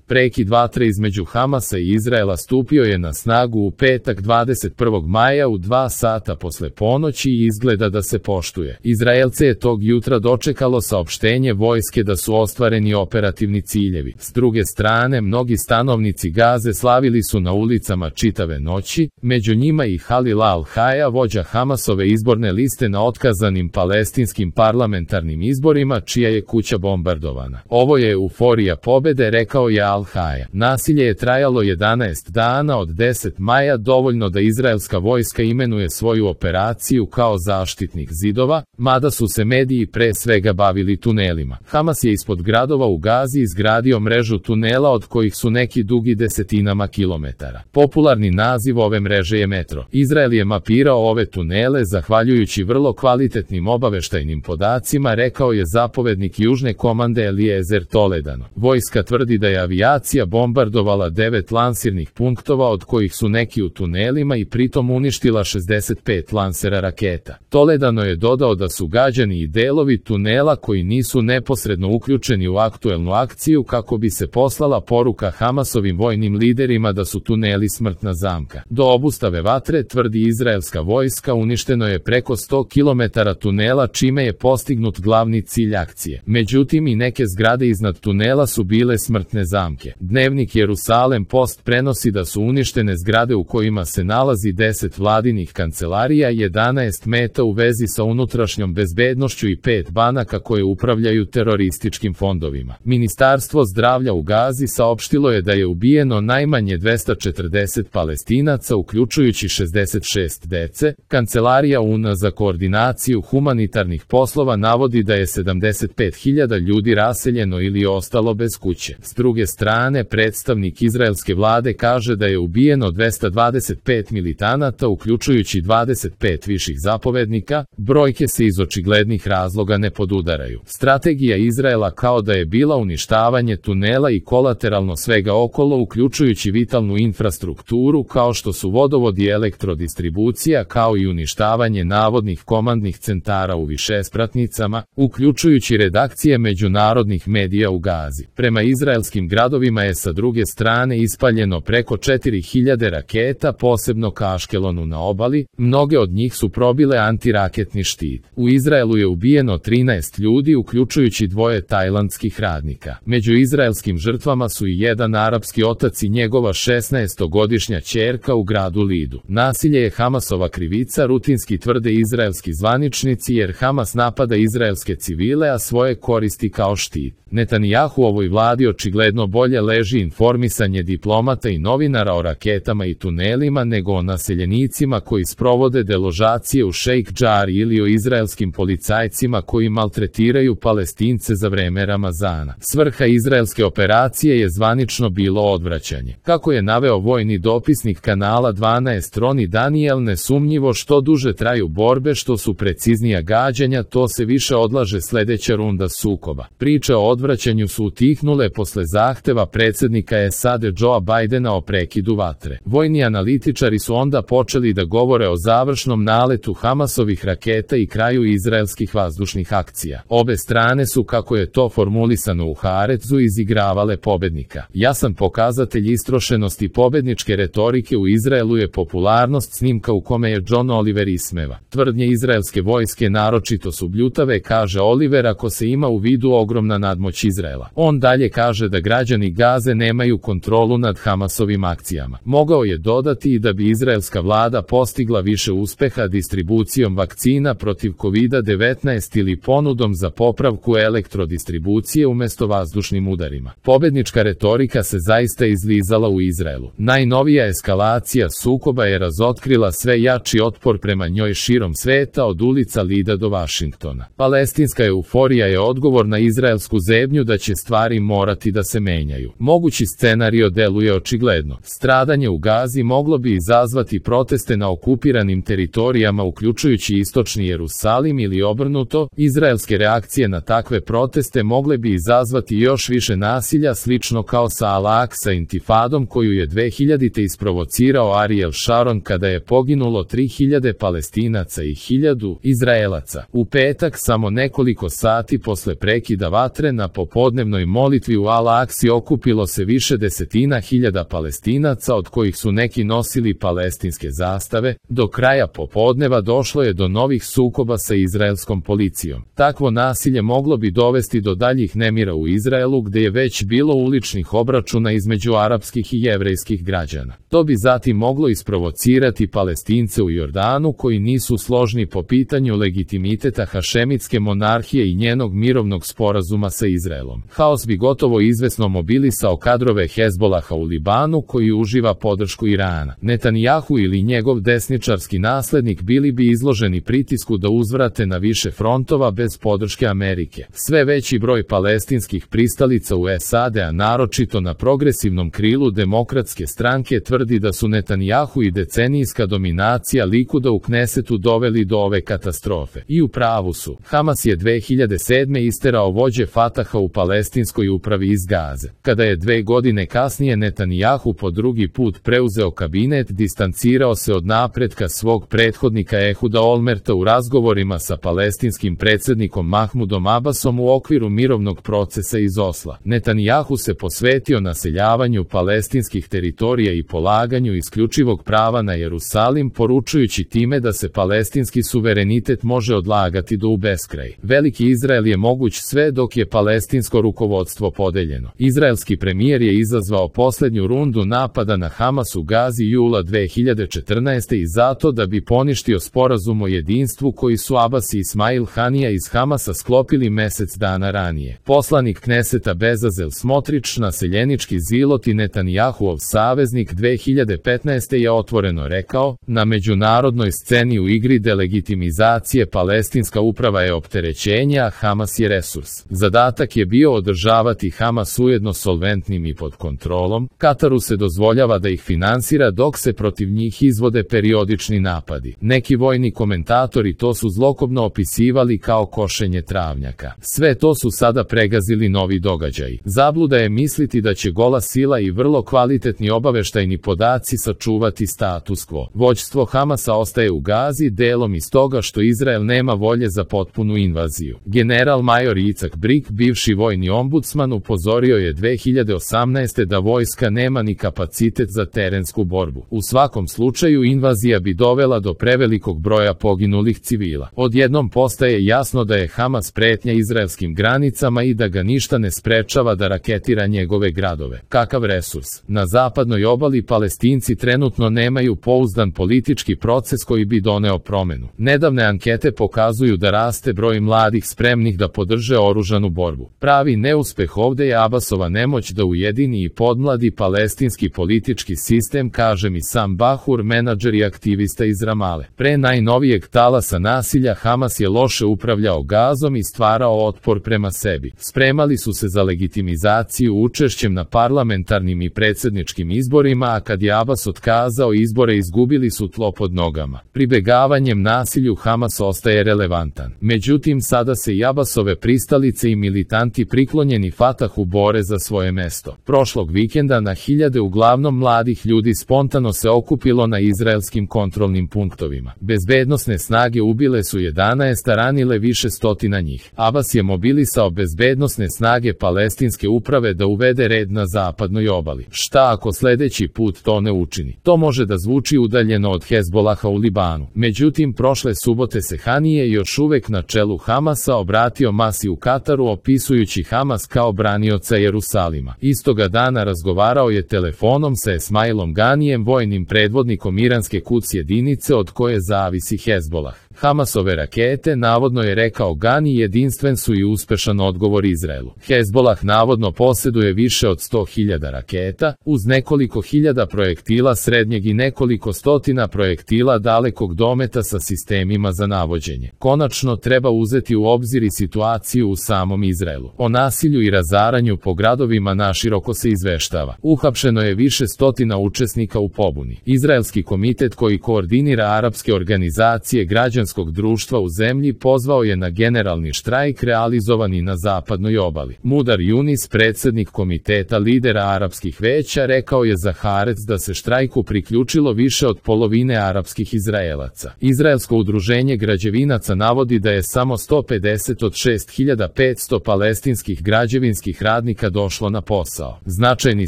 Prekid vatre između Hamasa i Izraela stupio je na snagu u petak 21. maja u 2 sata posle ponoći i izgleda da se poštuje. Izraelce je tog jutra dočekalo saopštenje vojske da su ostvareni operativni ciljevi. S druge strane, mnogi stanovnici Gaze slavili su na ulicama čitave noći, među njima i Halil al-Haja, vođa Hamasove izborne liste na otkazanim palestinskim parlamentarnim izborima, čija je kuća bombardovana. Ovo je euforija pobede, rekao je al-Haja. Nasilje je trajalo 11 dana od 10. maja, dovoljno da izraelska vojska imenuje svoju operaciju kao zaštitnik zidova, mada su se mediji pre svega bavili tunelima. Hamas je ispod gradova u Gazi izgradio mrežu tunela od kojih su neki dugi desetinama kilometara. Popularni naziv ove mreže je metro. Izrael je mapirao ove tunele zahvaljujući vrlo kvalitetnim obaveštajnim podacima, rekao je zapovednik južne komande Eliezer Toledano. Vojska tvrdi da je avijacija bombardovala 9 lansirnih punktova, od kojih su neki u tunelima, i pritom uništila 65 lansera raketa. Toledano je dodao da su gađani i delovi tunela koji nisu neposredno uključeni u aktuelnu akciju, kako bi se poslala poruka Hamasovim vojnim liderima da su tuneli smrtna zamka. Do obustave vatre, tvrdi izraelska vojska, uništeno je preko 100 km tunela, čime je postignut glavni cilj akcije. Međutim, i neke zgrade iznad tunela su bile smrtne zamke. Dnevnik Jerusalem Post prenosi da su uništene zgrade u kojima se nalazi 10 vladinih kancelarija, 11 meta u vezi sa unutrašnjom bezbednošću i 5 banaka koje upravljaju terorističkim fondovima. Ministarstvo zdravlja u Gazi saopštilo je da je ubijeno najmanje 240 Palestinaca, uključujući 66 dece. Kancelarija UN za koordinaciju humanitarnih poslova navodi da je 75.000 ljudi raseljeno ili ostalo bez kuće. S druge strane, predstavnik izraelske vlade kaže da je ubijeno 225 militanata, uključujući 25 viših zapovednika. Brojke se iz očiglednih razloga ne podudaraju. Strategija Izraela kao da je bila uništavanje tunela i kolateralno svega okolo, uključujući vitalnu infrastrukturu kao što su vodovod i elektrodistribucija, kao i uništavanje navodnih komandnih centara u višespratnicama, uključujući redakcije međunarodnih medija u Gazi. Prema izraelskim gradovima je sa druge strane ispaljeno preko 4000 raketa, posebno ka Aškelonu na obali, mnoge od njih su probile antiraketni štit. U Izraelu je ubijeno 13 ljudi, uključujući 2 tajlandskih radnika. Među izraelskim žrtvama su i jedan arapski otac i njegova 16-godišnja ćerka u gradu Lidu. Nasilje je Hamasova krivica, rutinski tvrde izraelski zvaničnici, jer Hamas napada izraelske civile, a svoje koristi kao štit. Netanjahu ovoj vladi očigledno bolje leži informisanje diplomata i novinara o raketama i tunelima nego o naseljenicima koji sprovode deložacije u Šejk Džari ili o izraelskim policajcima koji maltretiraju Palestince za vreme Ramazana. Svrha izraelske operacije je zvanično bilo odvraćanje. Kako je naveo vojni dopisnik kanala 12 Roni Daniel, nesumnjivo što duže traju borbe, što su preciznija gađanja, to se više odlaže sledeća runda sukoba. Priče o odvraćanju su utihnule posle zahteva predsjednika SAD Joea Bidena o prekidu vatre. Vojni analitičari su onda počeli da govore o završnom naletu Hamasovih raketa i kraju izraelskih vazdušnih akcija. Obe strane su, kako je to formulisano u Haaretzu, izigravale pobednika. Jasan pokazatelj istrošenosti pobedničke retorike u Izraelu je popularnost snimka u kome je John Oliver ismeva. Tvrdnje izraelske vojske naročito su bljutave, kaže Oliver, ako se ima u vidu ogromna nadmoć Izraela. On dalje kaže da građani Gaze nemaju kontrolu nad Hamasovim akcijama. Mogao je dodati i da bi izraelska vlada postigla više uspeha distribucijom vakcina protiv COVID-19 ili ponudom za popravku elektrodistribucije umesto vazdušnim udarima. Pobednička retorika se zaista izlizala u Izraelu. Najnovija eskalacija sukoba je razotkrila sve jači otpor prema njoj širom sveta, od ulica Lida do Vašingtona. Palestinska euforija je odgovor na izraelsku zebnju da će stvari morati da se menjaju. Mogući scenario deluje očigledno. Stradanje u Gazi moglo bi izazvati proteste na okupiranim teritorijama, uključujući istočni Jerusalim, ili obrnuto. Izraelske reakcije na takve proteste mogle bi izazvati još više nasilja, slično kao sa Al-Aqsa intifadom koju je 2000. isprovocirao Ariel Sharon kada je poginulo 3000 Palestinaca i 1000 Izraelaca. U petak, samo nekoliko sati posle prekida vatre, na popodnevnoj molitvi u Al-Aqsi okupilo se više desetina hiljada Palestinaca, od kojih su neki nosili palestinske zastave. Do kraja popodneva došlo je do novih sukoba sa izraelskom policijom. Takvo nasilje moglo bi dovesti do daljih nemira u Izraelu, gde je već bilo uličnih obračuna između arapskih i jevrejskih građana. To bi zatim moglo isprovocirati Palestince u Jordanu, koji nisu složni po pitanju legitimiteta hašemitske monarhije i njenog mirovnog sporazuma sa Izraelom. Haos bi gotovo izvesno mobilisao kadrove Hezbolaha u Libanu, koji uživa podršku Irana. Netanjahu ili njegov desničarski naslednik bili bi izloženi pritisku da uzvrate na više frontova bez podrške Amerike. Sve veći broj palestinskih pristalica u SAD, a naročito na progresivnom krilu demokratske stranke, tvrdi da su Netanjahu i decenijska dominacija Likuda u Knesetu doveli do ove katastrofe. I u pravu su. Hamas je 2007. isterao vođe Fataha u palestinskoj upravi iz Gaze. Kada je 2 godine kasnije Netanjahu po drugi put preuzeo kabinet, distancirao se od napretka svog prethodnika Ehuda Olmerta u razgovorima sa palestinskim predsjednikom Mahmudom Abbasom u okviru mirovnog procesa iz Osla. Netanjahu se posvetio naseljavanju palestinskih teritorija i polaganju isključivog prava na Jerusalim, poručujući time da se palestinski suverenitet može odlagati do u beskraj. Veliki Izrael je moguć sve dok je palestinsko rukovodstvo podeljeno. Izraelski premijer je izazvao posljednju rundu napada na Hamas u Gazi jula 2014. i zato da bi poništio sporazum o jedinstvu koji su Abbas i Ismail Hanija iz Hamasa sklopili mjesec dana ranije. Poslanik Kneseta Bezazel Smotrič, naseljenički zilot i Netanjahuov saveznik, 2015. je otvoreno rekao: na međunarodnoj sceni u igri delegitimizacije palestinska uprava je opterećenje, a Hamas je resurs. Zadatak je bio održavati Hamas ujedno solventnim i pod kontrolom. Kataru se dozvoljava da ih finansira dok se protiv njih izvode periodični napadi. Neki vojni komentatori to su zlokobno opisivali kao košenje travnjaka. Sve to su sada pregazili novi događaji. Zabluda je misliti da će gola sila i vrlo kvalitetni obaveštajni podaci sačuvati status quo. Vođstvo Hamasa ostaje u Gazi delom iz toga što Izrael nema volje za potpunu invaziju. General major Yitzhak Brik, bivši vojni ombudsman, upozorio je 2018. da vojska nema ni kapacitet za terensku borbu. U svakom slučaju invazija bi dovela do prevelikog broja poginulih civila. Odjednom postaje jasno da je Hamas pretnja izraelskim granicama i da ga ništa ne sprečava da raketira njegove gradove. Kakav resurs? Na zapadnoj obali Palestinci trenutno nemaju pouzdan politički proces koji bi doneo promenu. Nedavne ankete pokazuju da raste broj mladih spremnih da podrže oružanu borbu. Pravi neuspeh ovde je Abbasova nemoć da ujedini i podmladi palestinski politički sistem, kaže mi Sam Bahur, menadžer i aktivista iz Ramale. Pre najnovijeg talasa nasilja Hamas je loše upravljao Gazom i stvarao otpor prema sebi. Spremali su se za legitimizaciju učešćem na parlamentarnim i predsjedničkim izborima, a kad je Abbas otkazao izbore, izgubili su tlo pod nogama. Pribegavanjem nasilju Hamas ostaje relevantan. Međutim, sada se i Abbasove pristalice i militanti priklonjeni Fatahu bore za svoje mesto. Prošlog vikenda na hiljade uglavnom mladih ljudi spontano se okupilo na izraelskim kontrolnim punktovima. Bezbednosne snage ubile su 11, a ranile više stotina njih. Abbas je mobilisao bezbednosne snage palestinske uprave da uvede red na zapadnoj obali. Šta ako sljedeći put to ne učini? To može da zvuči udaljeno od Hezbolaha u Libanu. Međutim, prošle subote se Hanije, još uvek na čelu Hamasa, obratio masi u Kataru, opisujući Hamas kao branioca Jerusalima. Istoga dana razgovarao je telefonom sa Esmailom Ganijem, vojnim predvodnikom iranske Quds jedinice od koje zavisi Hezbolah. Hamasove rakete, navodno je rekao Gani, jedinstven su i uspešan odgovor Izraelu. Hezbolah navodno posjeduje više od 100.000 raketa, uz nekoliko hiljada projektila srednjeg i nekoliko stotina projektila dalekog dometa sa sistemima za navođenje. Konačno treba uzeti u obzir i situaciju u samom Izraelu. O nasilju i razaranju po gradovima naširoko se izveštava. Uhapšeno je više stotina učesnika u pobuni. Izraelski komitet koji koordinira arapske organizacije građanskog građanskog društva u zemlji pozvao je na generalni štrajk realizovani na zapadnoj obali. Mudar Yunis, predsjednik komiteta lidera arapskih veća, rekao je za Haaretz da se štrajku priključilo više od polovine arapskih Izraelaca. Izraelsko udruženje građevinaca navodi da je samo 150 od 6500 palestinskih građevinskih radnika došlo na posao. Značajni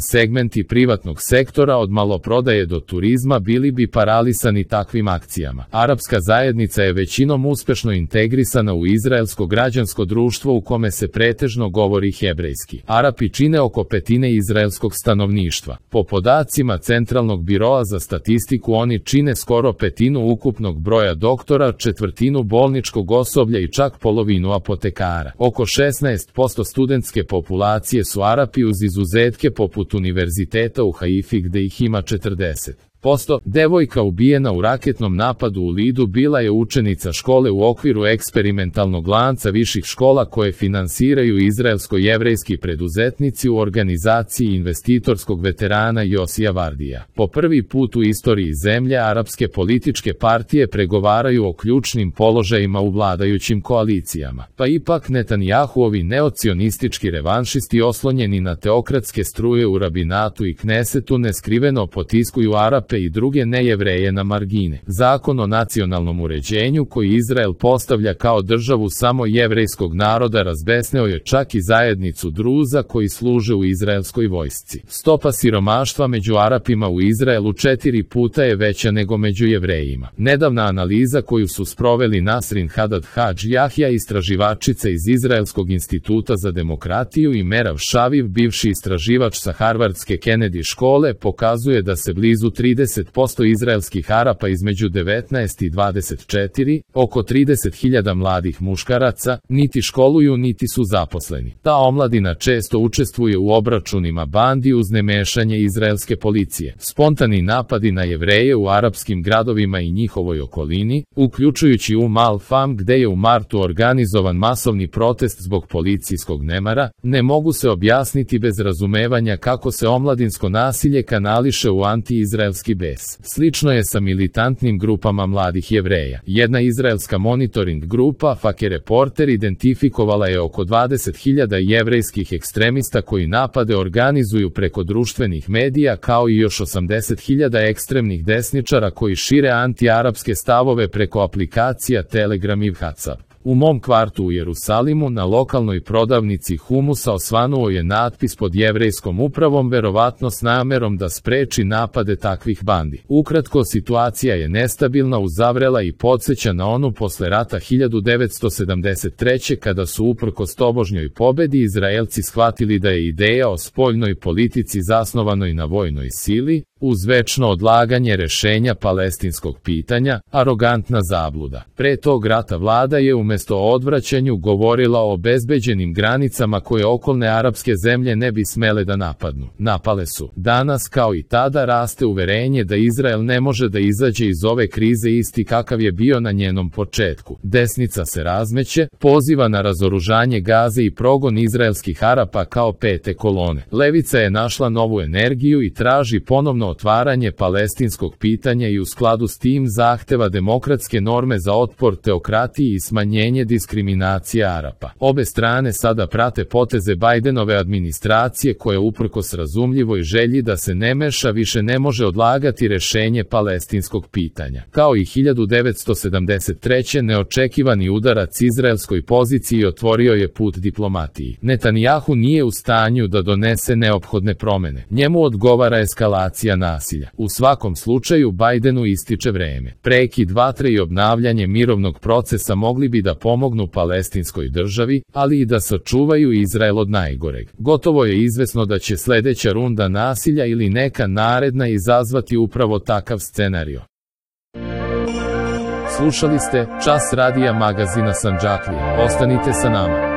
segmenti privatnog sektora od maloprodaje do turizma bili bi paralisani takvim akcijama. Arapska zajednica je većinom uspešno integrisana u izraelsko građansko društvo u kome se pretežno govori hebrejski. Arapi čine oko petine izraelskog stanovništva. Po podacima Centralnog biroa za statistiku oni čine skoro petinu ukupnog broja doktora, četvrtinu bolničkog osoblja i čak polovinu apotekara. Oko 16% studentske populacije su Arapi uz izuzetke poput univerziteta u Haifi gde ih ima 40%. Devojka ubijena u raketnom napadu u Lidu bila je učenica škole u okviru eksperimentalnog lanca viših škola koje finansiraju izraelsko-jevrejski preduzetnici u organizaciji investitorskog veterana Josija Vardija. Po prvi put u istoriji zemlje arapske političke partije pregovaraju o ključnim položajima u vladajućim koalicijama. Pa ipak Netanjahuovi neocionistički revanšisti oslonjeni na teokratske struje u rabinatu i knesetu neskriveno potiskuju Arape i druge nejevreje na margine. Zakon o nacionalnom uređenju koji Izrael postavlja kao državu samo jevrejskog naroda razbesneo je čak i zajednicu Druza koji služe u izraelskoj vojsci. Stopa siromaštva među Arapima u Izraelu 4 puta je veća nego među Jevrejima. Nedavna analiza koju su sproveli Nasrin Hadad Hadž Jahja, istraživačica iz Izraelskog instituta za demokratiju, i Merav Šaviv, bivši istraživač sa Harvardske Kennedy škole, pokazuje da se blizu 30% izraelskih Arapa između 19 i 24, oko 30.000 mladih muškaraca, niti školuju niti su zaposleni. Ta omladina često učestvuje u obračunima bandi uz nemešanje izraelske policije. Spontani napadi na Jevreje u arapskim gradovima i njihovoj okolini, uključujući Al-Fam gde je u martu organizovan masovni protest zbog policijskog nemara, ne mogu se objasniti bez razumevanja kako se omladinsko nasilje kanališe u anti-izraelski bes. Slično je sa militantnim grupama mladih Jevreja. Jedna izraelska monitoring grupa, Fake Reporter, identifikovala je oko 20.000 jevrejskih ekstremista koji napade organizuju preko društvenih medija, kao i još 80.000 ekstremnih desničara koji šire anti-arapske stavove preko aplikacija Telegram i WhatsApp. U mom kvartu u Jerusalimu na lokalnoj prodavnici humusa osvanuo je natpis pod jevrejskom upravom, verovatno s namerom da spreči napade takvih bandi. Ukratko, situacija je nestabilna, uzavrela i podsjeća na onu posle rata 1973. kada su uprkos tobožnjoj pobedi Izraelci shvatili da je ideja o spoljnoj politici zasnovanoj na vojnoj sili, uz večno odlaganje rešenja palestinskog pitanja, arogantna zabluda. Pre tog rata vlada je umesto o odvraćanju govorila o obezbeđenim granicama koje okolne arapske zemlje ne bi smele da napadnu. Napale su. Danas, kao i tada, raste uverenje da Izrael ne može da izađe iz ove krize isti kakav je bio na njenom početku. Desnica se razmeće, poziva na razoružanje Gaze i progon izraelskih Arapa kao pete kolone. Levica je našla novu energiju i traži ponovno otvaranje palestinskog pitanja i u skladu s tim zahteva demokratske norme za otpor teokratiji i smanjenje diskriminacije Arapa. Obe strane sada prate poteze Bajdenove administracije koja uprkos razumljivoj želji da se ne meša više ne može odlagati rešenje palestinskog pitanja. Kao i 1973. neočekivani udarac izraelskoj poziciji otvorio je put diplomatiji. Netanjahu nije u stanju da donese neophodne promene. Njemu odgovara eskalacija nasilja. U svakom slučaju Bajdenu ističe vreme. Prekid vatre i obnavljanje mirovnog procesa mogli bi da pomognu palestinskoj državi, ali i da sačuvaju Izrael od najgoreg. Gotovo je izvesno da će sledeća runda nasilja ili neka naredna izazvati upravo takav scenario. Slušali ste Čas radija magazina Sandžaklija. Ostanite sa nama.